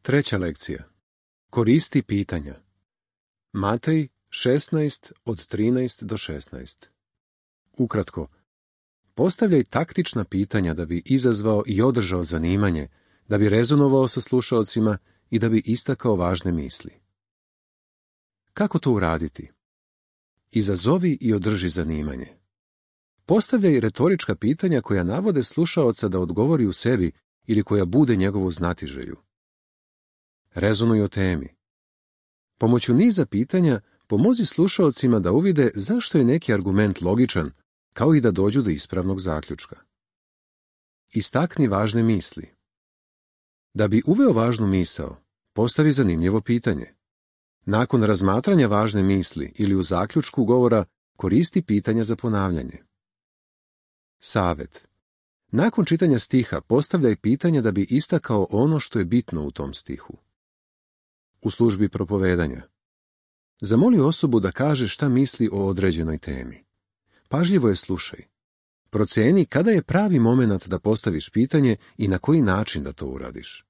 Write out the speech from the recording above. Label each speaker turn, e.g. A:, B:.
A: Treća lekcija. Koristi pitanja. Matej 16 od 13 do 16. Ukratko, postavljaj taktična pitanja da bi izazvao i održao zanimanje, da bi rezonovao sa slušaocima i da bi istakao važne misli. Kako to uraditi? Izazovi i održi zanimanje. Postavljaj retorička pitanja koja navode slušaoca da odgovori u sebi ili koja bude njegovu znatiželju. Rezonuj o temi. Pomoću niza pitanja pomozi slušaocima da uvide zašto je neki argument logičan, kao i da dođu do ispravnog zaključka. Istakni važne misli. Da bi uveo važnu misao, postavi zanimljivo pitanje. Nakon razmatranja važne misli ili u zaključku govora, koristi pitanja za ponavljanje. Savet. Nakon čitanja stiha postavljaj pitanja da bi istakao ono što je bitno u tom stihu. U službi propovedanja. Zamoli osobu da kaže šta misli o određenoj temi. Pažljivo je slušaj. Proceni kada je pravi momenat da postaviš pitanje i na koji način da to uradiš.